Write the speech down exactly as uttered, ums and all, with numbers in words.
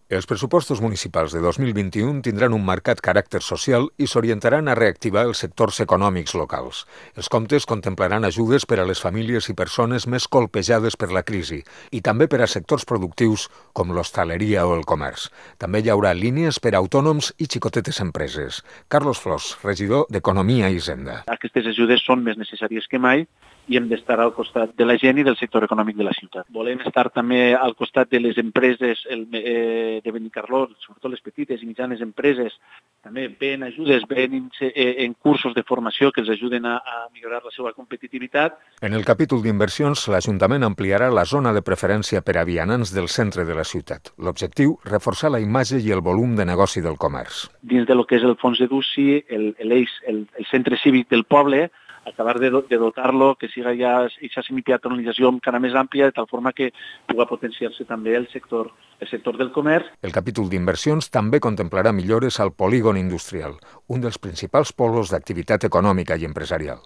Els pressupostos municipals de dos mil vint-i-u tindran un marcat caràcter social i s'orientaran a reactivar els sectors econòmics locals. Els comptes contemplaran ajudes per a les famílies i persones més colpejades per la crisi i també per a sectors productius com l'hostaleria o el comerç. També hi haurà línies per a autònoms i xicotetes empreses. Carlos Flors, regidor d'Economia i Hisenda. Aquestes ajudes són més necessàries que mai i hem d'estar al costat de la gent i del sector econòmic de la ciutat. Volem estar també al costat de les empreses el, eh, de Benicarló, sobretot les petites i mitjanes empreses, també ven ajudes, ven en cursos de formació que els ajuden a, a millorar la seva competitivitat. En el capítol d'inversions, l'Ajuntament ampliarà la zona de preferència per a vianants del centre de la ciutat. L'objectiu, reforçar la imatge i el volum de negoci del comerç. Dins de lo que és el fons de Duci, el, el, el, el centre cívic del poble, acabar de, de dotar-lo, que siga ja aquesta semipeatonalització encara més àmplia, de tal forma que pugui potenciar-se també el sector, el sector del comerç. El capítol d'inversions també contemplarà millores al polígon industrial, un dels principals polos d'activitat econòmica i empresarial.